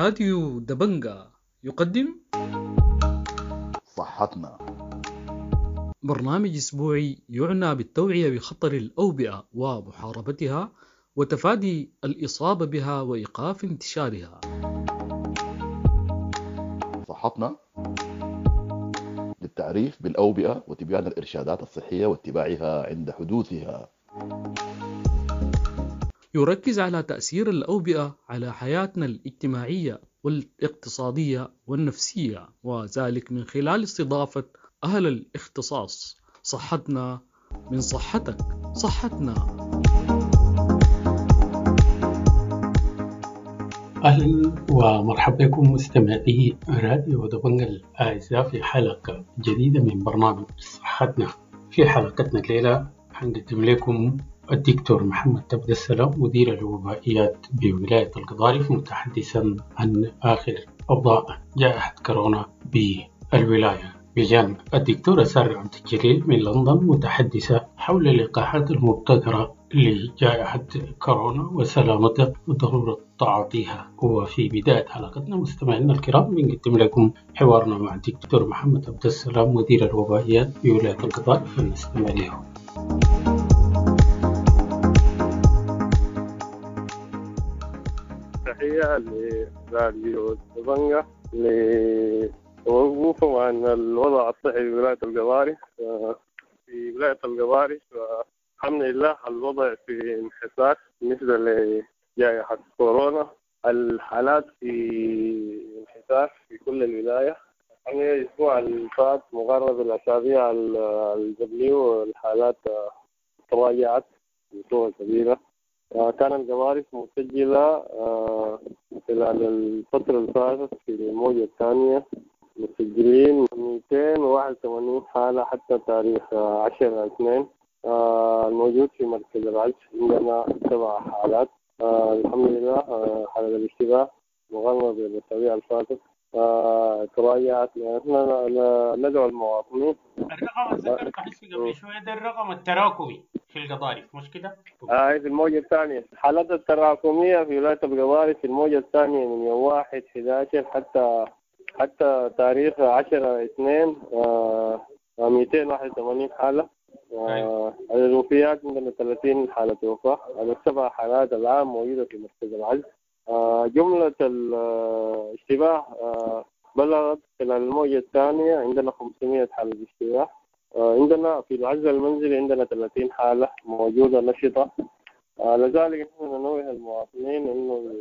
راديو دبنجا يقدم صحتنا. برنامج أسبوعي يعنى بالتوعية بخطر الأوبئة ومحاربتها وتفادي الإصابة بها وإيقاف انتشارها. صحتنا للتعريف بالأوبئة وتبيان الإرشادات الصحية واتباعها عند حدوثها. يركز على تأثير الأوبئة على حياتنا الاجتماعية والاقتصادية والنفسية، وذلك من خلال استضافة أهل الاختصاص. صحتنا من صحتك، صحتنا. أهلا ومرحبا بكم مستمعي راديو دبنجا الأعزاء في حلقة جديدة من برنامج صحتنا. في حلقتنا الليلة حنقدم لكم الدكتور محمد عبد السلام مدير الوبائيات بولاية القضارف متحدثا عن آخر أوضاع جائحة كورونا بالولاية، بجانب الدكتورة سارة عبد الجليل من لندن متحدثة حول اللقاحات المبتكرة لجائحة كورونا وسلامتها وضرورة تعاطيها. وفي بداية حلقتنا مستمعينا الكرام بنقدم لكم حوارنا مع الدكتور محمد عبد السلام مدير الوبائيات بولاية القضارف، فلنستمع له. تحية لراديو دبنجا لوقوفهم عن الوضع الصحي في ولاية القضارف. في ولاية القضارف الحمد لله الوضع في انحسار بالنسبة لجائحة كورونا. الحالات في انحسار في كل الولاية. يعني الأسبوع اللي فات مقارنة بالأسابيع اللي قبليه الحالات تراجعت بصورة كبيرة. كان القضارف مسجلة خلال الفترة اللي فاتت في الموجة الثانية مسجلين 281 حالة حتى تاريخ 10/2. الموجود في مركز العزل عندنا 7 حالات. الحمد لله حالة الاشتباه مقارنة بالأسابيع اللي فاتت تراجعت. نحن ندعو المواطنين. الرقم اللي ذكرته قبل شوية ده الرقم التراكمي في القضارف مش كده؟ في الموجة الثانية الحالات التراكمية في ولاية القضارف في الموجة الثانية من يوم 1/11 حتى تاريخ 10/2 281 حالة. الوفيات عندنا 30 حالة وفاة. على 7 حالات الآن موجودة في مركز العزل. جملة الاشتباه بلغت خلال الموجة الثانية عندنا 500 حالة اشتباه. عندنا في العزل المنزلي عندنا 30 حالة موجودة نشطة. لذلك نحن ننوه المواطنين إنه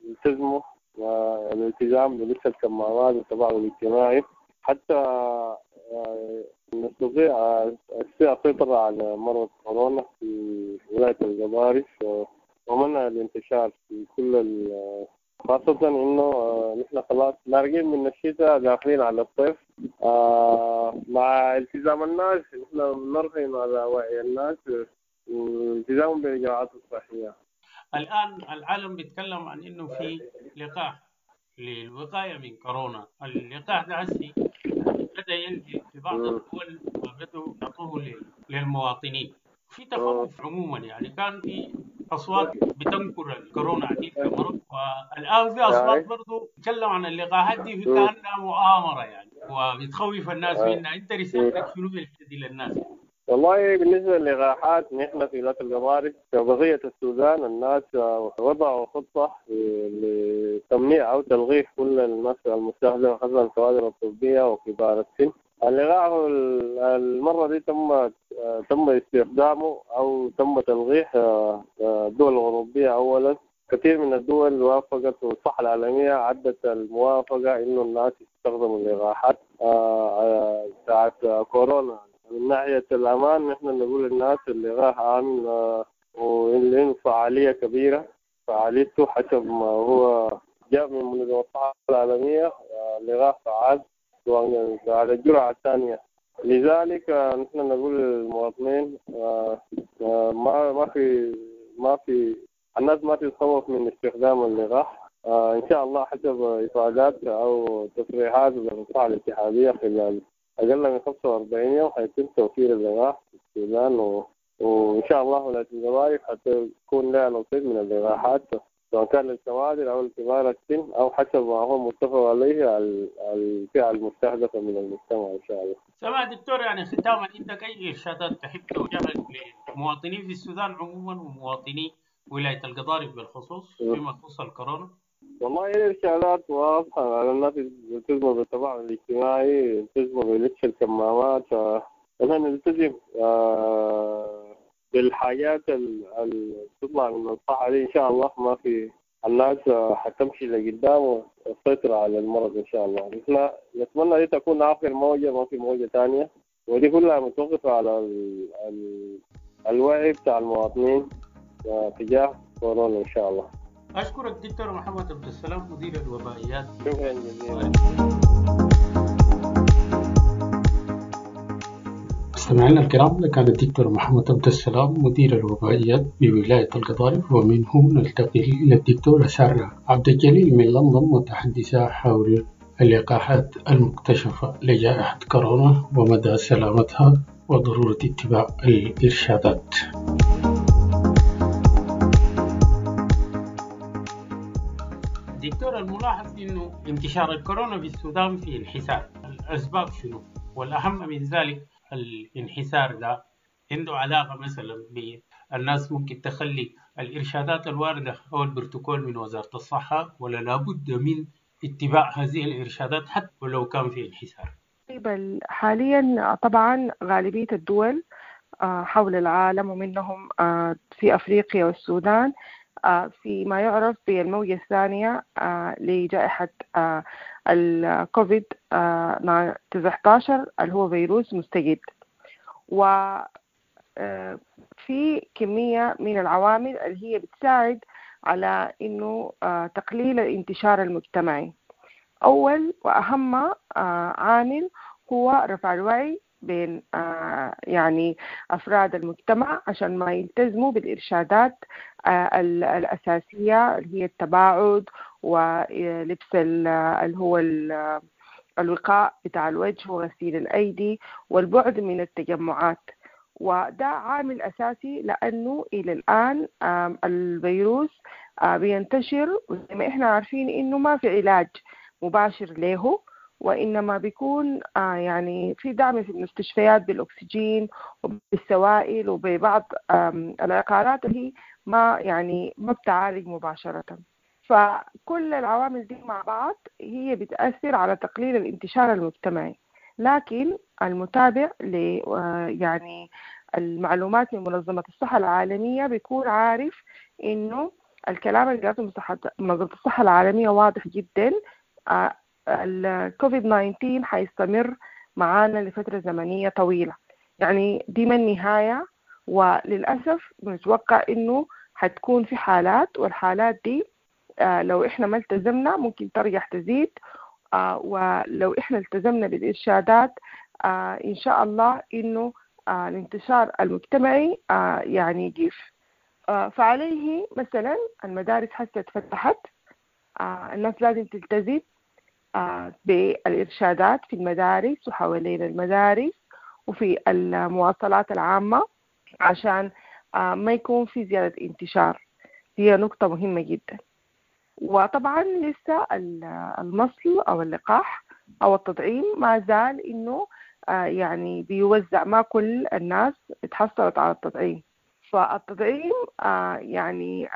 يلتزموا الالتزام بلبس الكمامات والتباعد الاجتماعي حتى نستطيع السيطرة على مرض كورونا في ولاية القضارف ومنع الانتشار في كل، خاصة إنه نحن خلاص مارقين من الشتاء داخلين على الصيف. مع التزام الناس نحن نرهن على وعي الناس والالتزام بالإجراءات الصحية. الآن العالم بيتكلم عن إنه في لقاح للوقاية من كورونا. اللقاح ده هسي بدأ ينزل في بعض الدول وبدأوا يعطوه للمواطنين. في تخوف عموما، يعني كان في أصوات بتنكر الكورونا عديد كمرض، والآن في أصوات برضو تتكلم عن اللقاحات دي كأنها مؤامرة يعني وبتخوف الناس منها. أنت رسالتك شنو دي للناس؟ والله بالنسبة للقاحات نحن في ولاية القضارف كبقية السودان الناس وضعوا خطة لتمنيع أو تلغيح كل الناس المستهدفة خاصة الكوادر الطبية وكبار السن. اللقاح المرة دي تم استخدامه أو تم تلغيح الدول الأوروبية أولا. كثير من الدول وافقت والصحة العالمية عدت الموافقة إنه الناس يستخدموا اللقاحات بتاعت كورونا. من ناحية الأمان نحن نقول للناس اللقاح آمن وله فعالية كبيرة. فعاليته حسب ما هو جاء من منظمة الصحة العالمية اللقاح فعال على الجرعة الثانية. لذلك نحن نقول للمواطنين ما في الناس ما تتخوف من استخدام اللقاح. إن شاء الله حسب إفادات أو تصريحات الصحة الاتحادية خلال أقل من 45 يوم حيتم توفير اللقاح في السودان، وإن شاء الله ولاية القضارف حتكون لها نصيب من اللقاحات. سواء كان للكوادر أو الكبار السن أو حسب ما هو متفق عليه الفئة المستهدفة من المجتمع إن شاء الله. سمع دكتور، يعني ختاما عندك أي إرشادات تحب توجهها للمواطنين في السودان عموما ومواطني ولاية القضارف بالخصوص فيما يخص الكورونا؟ والله الإرشادات واضحة على الناس يلتزموا بالتباعد الاجتماعي، يلتزموا بلبس الكمامات، نحن نلتزم بالحاجات اللي تطلع من الصحة دي إن شاء الله. ما في الناس حتمشي لقدام وتسيطر على المرض إن شاء الله. نحن نتمنى دي تكون آخر موجة، ما في موجة تانية، ودي كلها متوقفة على الوعي بتاع المواطنين تجاه كورونا إن شاء الله. أشكرك دكتور محمد عبد السلام مدير الوبائيات. شكرا جزيلا. مستمعينا الكرام، كان الدكتور محمد عبد السلام مدير الوبائيات بولاية القضارف، ومنه نلتقي إلى الدكتورة سارة عبد الجليل من لندن متحدثة حول اللقاحات المكتشفة لجائحة كورونا ومدى سلامتها وضرورة اتباع الإرشادات. دكتور، الملاحظ إنه انتشار الكورونا في السودان في انحسار، الأسباب شنو؟ والأهم من ذلك الانحسار ده عنده علاقة مثلا بالناس ممكن تخلي الإرشادات الواردة أو البروتوكول من وزارة الصحة، ولا لابد من اتباع هذه الإرشادات حتى ولو كان في انحسار؟ طيب، حاليا طبعا غالبية الدول حول العالم ومنهم في أفريقيا والسودان في ما يعرف بالموجة الثانية لجائحة الكوفيد 19 اللي هو فيروس مستجد، وفي كمية من العوامل اللي هي بتساعد على إنه تقليل الانتشار المجتمعي. أول وأهم عامل هو رفع الوعي بين يعني أفراد المجتمع عشان ما يلتزموا بالإرشادات الأساسية اللي هي التباعد ولبس اللي هو الوقاء بتاع الوجه وغسيل الأيدي والبعد من التجمعات. وده عامل أساسي لأنه إلى الآن الفيروس بينتشر، وزي ما إحنا عارفين إنه ما في علاج مباشر له، وإنما بيكون يعني في دعم في المستشفيات بالأكسجين وبالسوائل وببعض العقارات اللي هي ما يعني ما بتعالج مباشرة. فكل العوامل دي مع بعض هي بتأثر على تقليل الانتشار المجتمعي. لكن المتابع ل يعني المعلومات من منظمة الصحة العالمية بيكون عارف إنه الكلام اللي قالته منظمة الصحة العالمية واضح جدا. الكوفيد 19 حيستمر معانا لفترة زمنية طويلة، يعني دي ما النهاية، وللأسف بنتوقع إنه حتكون في حالات، والحالات دي لو إحنا ما التزمنا ممكن ترجع تزيد، ولو إحنا التزمنا بالإرشادات إن شاء الله إنه الانتشار المجتمعي يعني يقف. فعليه مثلا المدارس حتى اتفتحت، الناس لازم تلتزم بالإرشادات في المدارس وحوالين المدارس وفي المواصلات العامة عشان ما يكون في زيادة انتشار. هي نقطة مهمة جدا. وطبعا لسه المصل أو اللقاح أو التطعيم ما زال إنه يعني بيوزع، ما كل الناس اتحصلت على التطعيم. فالتطعيم يعني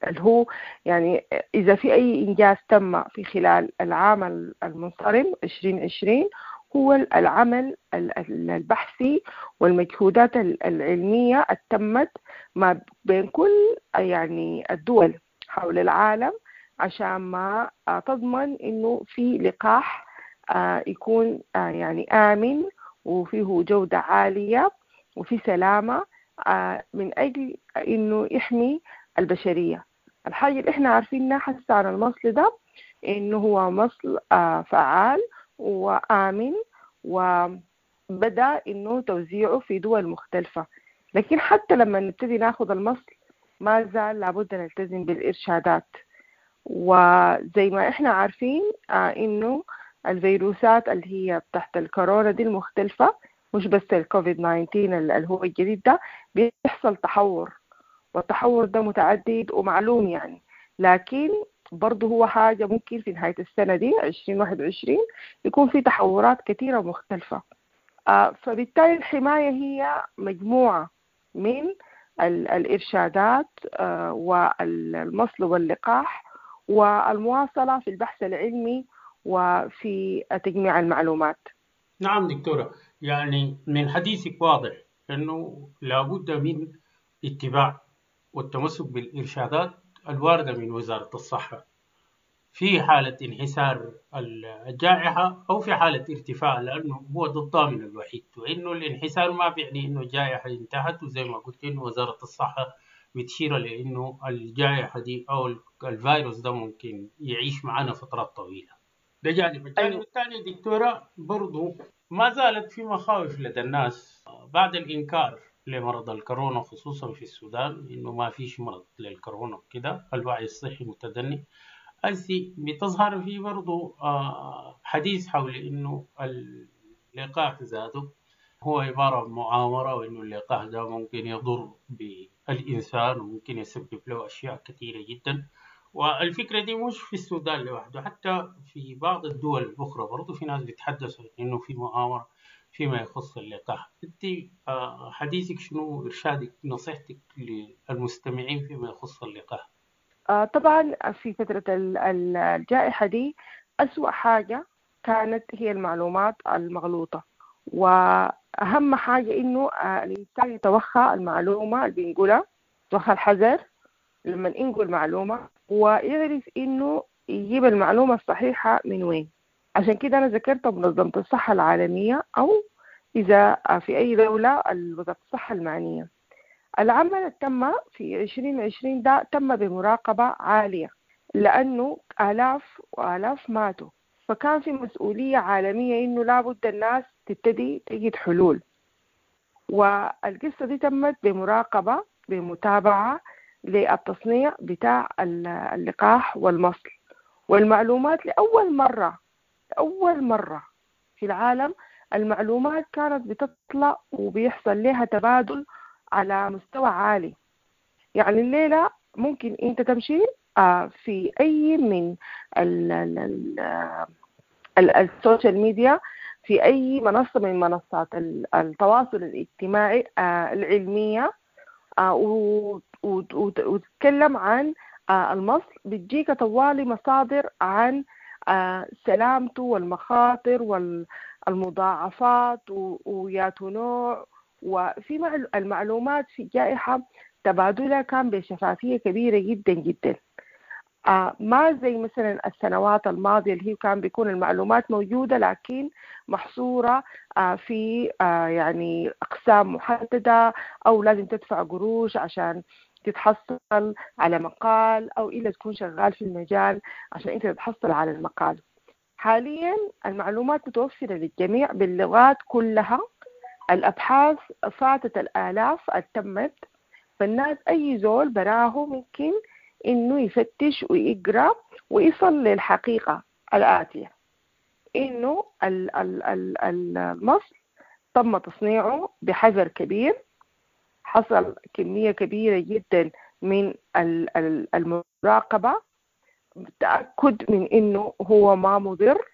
اللي هو يعني إذا في أي إنجاز تم في خلال العام المنصرم 2020 هو العمل البحثي والمجهودات العلمية التمت ما بين كل يعني الدول حول العالم عشان ما تضمن إنه في لقاح يكون يعني آمن وفيه جودة عالية وفي سلامة من أجل إنه يحمي البشرية. الحاجة اللي إحنا عارفينها حتى عن المصل ده إنه هو مصل فعال وآمن، وبدأ إنه توزيعه في دول مختلفة. لكن حتى لما نبتدي ناخد المصل ما زال لابد نلتزم بالإرشادات. وزي ما إحنا عارفين إنه الفيروسات اللي هي تحت الكورونا دي المختلفة، مش بس الكوفيد 19 اللي هو الجديد ده، بيحصل تحور، والتحور ده متعدد ومعلوم يعني، لكن برضه هو حاجة ممكن في نهاية السنة دي 2021 يكون في تحورات كثيرة ومختلفة. فبالتالي الحماية هي مجموعة من الإرشادات والمصل واللقاح والمواصلة في البحث العلمي وفي تجميع المعلومات. نعم دكتورة، يعني من حديثك واضح أنه لابد من اتباع والتمسك بالإرشادات الواردة من وزارة الصحة في حالة انحسار الجائحة أو في حالة ارتفاع، لأنه هو ده الضامن الوحيد، وإنه الانحسار ما بيعني إنه الجائحة انتهت، وزي ما قلت إنه وزارة الصحة بتشير لإنه الجائحة دي أو الفيروس ده ممكن يعيش معنا فترات طويلة. ده جانب. الجانب الثاني دكتورة برضو ما زالت في مخاوف لدى الناس بعد الإنكار لمرض الكورونا، خصوصا في السودان، إنه ما فيش مرض للكورونا وكده، الوعي الصحي متدني. هسي بتظهر في برضو حديث حول إنه اللقاح ذاته هو عبارة عن مؤامرة، وإنه اللقاح ده ممكن يضر بالإنسان وممكن يسبب له أشياء كثيرة جدا. والفكرة دي مش في السودان لوحده، حتى في بعض الدول الأخرى برضو في ناس بيتحدثوا إنه في مؤامرة فيما يخص اللقاح. أنت حديثك شنو، إرشادك، نصيحتك للمستمعين فيما يخص اللقاح؟ طبعا في فترة الجائحة دي أسوأ حاجة كانت هي المعلومات المغلوطة، وأهم حاجة إنه الإنسان يتوخى المعلومة اللي بينقلها، يتوخى الحذر لما ينقل معلومة، ويعرف إنه يجيب المعلومة الصحيحة من وين. عشان كده أنا ذكرت منظمة الصحة العالمية، أو إذا في أي دولة وزارة الصحة المعنية. العمل تم في 2020 ده تم بمراقبة عالية، لأنه آلاف وآلاف ماتوا، فكان في مسؤولية عالمية إنه لابد الناس تبتدي تجد حلول. والقصة دي تمت بمراقبة، بمتابعة للتصنيع بتاع اللقاح والمصل والمعلومات. لأول مرة، أول مرة في العالم المعلومات كانت بتطلع وبيحصل لها تبادل على مستوى عالي. يعني الليلة ممكن أنت تمشي في أي من ال social media، في أي منصة من منصات التواصل الاجتماعي العلمية، وتتكلم عن المصل، بتجيك طوالي مصادر عن سلامته والمخاطر والمضاعفات وياتو نوع. وفي المعلومات في الجائحة تبادلها كان بشفافية كبيرة جدا جدا، ما زي مثلا السنوات الماضية اللي هي كان بيكون المعلومات موجودة لكن محصورة في يعني أقسام محددة، أو لازم تدفع قروش عشان تتحصل على مقال، أو إلا تكون شغال في المجال عشان أنت تتحصل على المقال. حاليا المعلومات متوفرة للجميع باللغات كلها، الأبحاث فاتت الآلاف التمت، فالناس أي زول براه ممكن إنه يفتش ويقرأ ويصل للحقيقة الآتية، إنه المصل تم تصنيعه بحذر كبير، حصل كمية كبيرة جدا من المراقبة، التأكد من إنه هو ما مضر،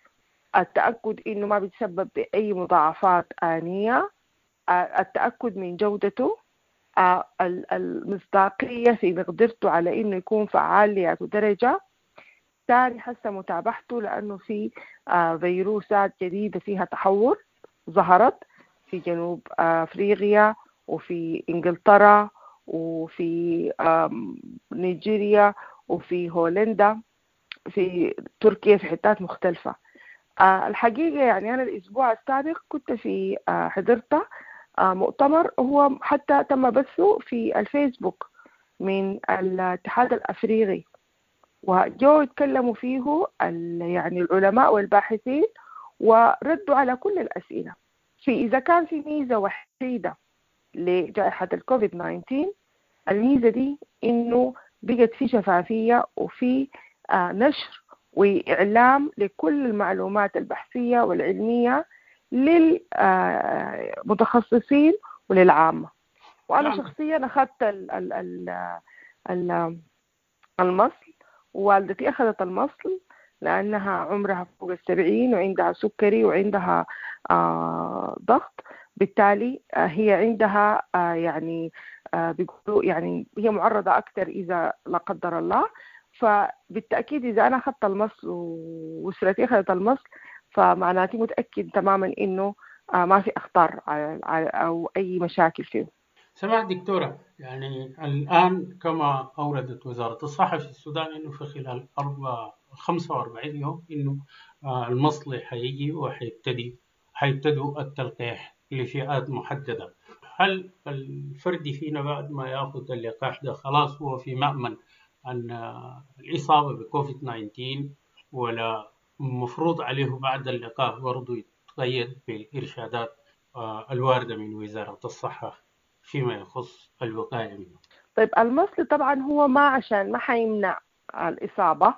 التأكد إنه ما بيتسبب بأي مضاعفات آنية، التأكد من جودته، المصداقية في مقدرته على إنه يكون فعال لياته درجة. ثاني حسه متابعته، لأنه في فيروسات جديدة فيها تحور ظهرت في جنوب أفريقيا وفي إنجلترا وفي نيجيريا وفي هولندا، في تركيا، في حتات مختلفة. الحقيقة يعني أنا الأسبوع السابق كنت في حضرت مؤتمر هو حتى تم بثه في الفيسبوك من الاتحاد الأفريقي، وجو يتكلموا فيه يعني العلماء والباحثين وردوا على كل الأسئلة. في إذا كان في ميزة وحيدة لجائحة الكوفيد 19، الميزة دي إنه بقت في شفافية وفي نشر وإعلام لكل المعلومات البحثية والعلمية للمتخصصين وللعامة. وأنا نعم. شخصيا أخذت المصل، ووالدتي أخذت المصل لأنها عمرها فوق 70 وعندها سكري وعندها ضغط، بالتالي هي عندها يعني بيقولوا يعني هي معرضة أكثر إذا لا قدر الله. فبالتأكيد إذا أنا أخذت المصل وأسرتي أخذت المصل فمعناتي متأكد تماما إنه ما في أخطار أو أي مشاكل فيه. سمعت دكتورة، يعني الآن كما أوردت وزارة الصحة في السودان إنه في خلال 45 يوم إنه المصل حيجي وحيبتدوا التلقيح لفئات محددة. هل الفرد فينا بعد ما يأخذ اللقاح ده خلاص هو في مأمن عن الإصابة بكوفيد 19، ولا مفروض عليه بعد اللقاح برضو يتقيد بالإرشادات الواردة من وزارة الصحة فيما يخص الوقاية منه؟ طيب المصل طبعا هو ما عشان ما حيمنع الإصابة،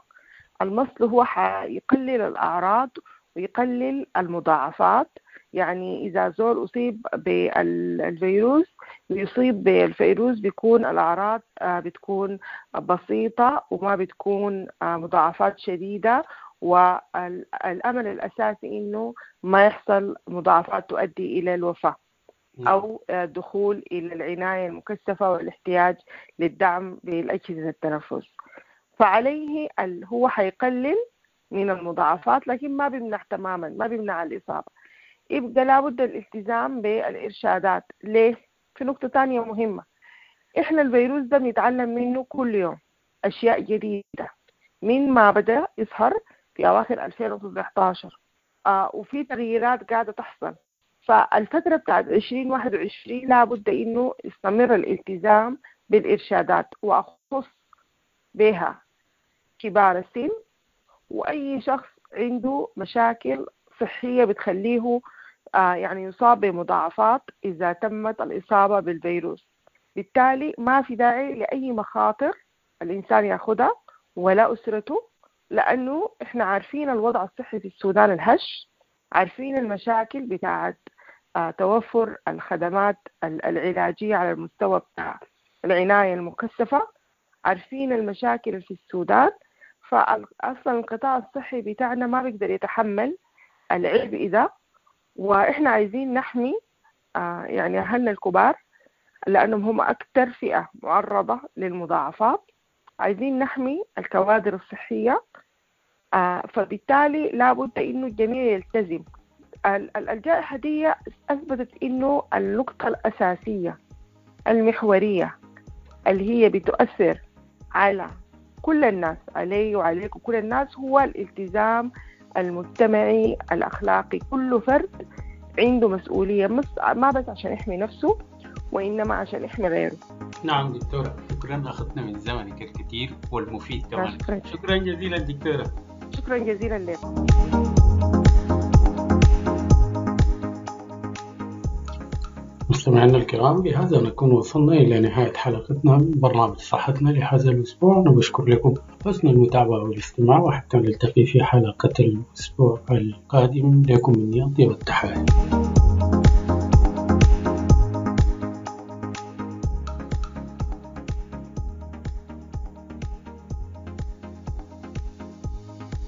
المصل هو حيقلل الأعراض ويقلل المضاعفات. يعني إذا زول أصيب بالفيروس بيصيب بالفيروس بيكون الأعراض بتكون بسيطة وما بتكون مضاعفات شديدة، والأمل الأساسي إنه ما يحصل مضاعفات تؤدي إلى الوفاة أو دخول إلى العناية المكثفة والاحتياج للدعم بالأجهزة التنفس. فعليه هو حيقلل من المضاعفات لكن ما بيمنع تماما، ما بيمنع الإصابة. يبقى لابد الالتزام بالإرشادات. ليه؟ في نقطة تانية مهمة، إحنا الفيروس ده بنتعلم منه كل يوم أشياء جديدة من ما بدأ يظهر في أواخر 2019، وفي تغييرات قاعدة تحصل. فالفترة بتاعت 2021 لابد إنه يستمر الالتزام بالإرشادات، وأخص بها كبار السن وأي شخص عنده مشاكل صحية بتخليه يعني يصاب بمضاعفات إذا تمت الإصابة بالفيروس. بالتالي ما في داعي لأي مخاطر الإنسان يأخذها ولا أسرته، لأنه إحنا عارفين الوضع الصحي في السودان الهش، عارفين المشاكل بتاعت توفر الخدمات العلاجية على المستوى بتاع العناية المكثفة، عارفين المشاكل في السودان. فأصلا القطاع الصحي بتاعنا ما بيقدر يتحمل العبء ده، وإحنا عايزين نحمي يعني أهلنا الكبار لأنهم هم أكثر فئة معرضة للمضاعفات، عايزين نحمي الكوادر الصحية. فبالتالي لابد إنه الجميع يلتزم. الجائحة دي أثبتت إنه النقطة الأساسية المحورية اللي هي بتؤثر على كل الناس، علي وعليك وكل الناس، هو الالتزام المجتمعي الأخلاقي. كل فرد عنده مسؤولية، ما بس عشان يحمي نفسه وإنما عشان يحمي غيره. نعم دكتورة، شكرا، أخذنا من زمنك الكثير والمفيد كمان. شكرا جزيلا دكتورة. شكرا جزيلا لك. مستمعينا الكرام، بهذا نكون وصلنا إلى نهاية حلقتنا من برنامج صحتنا لهذا الأسبوع. نشكر لكم حسن المتابعة والاستماع، وحتى نلتقي في حلقة الأسبوع القادم. لكم مني أطيب التحايا.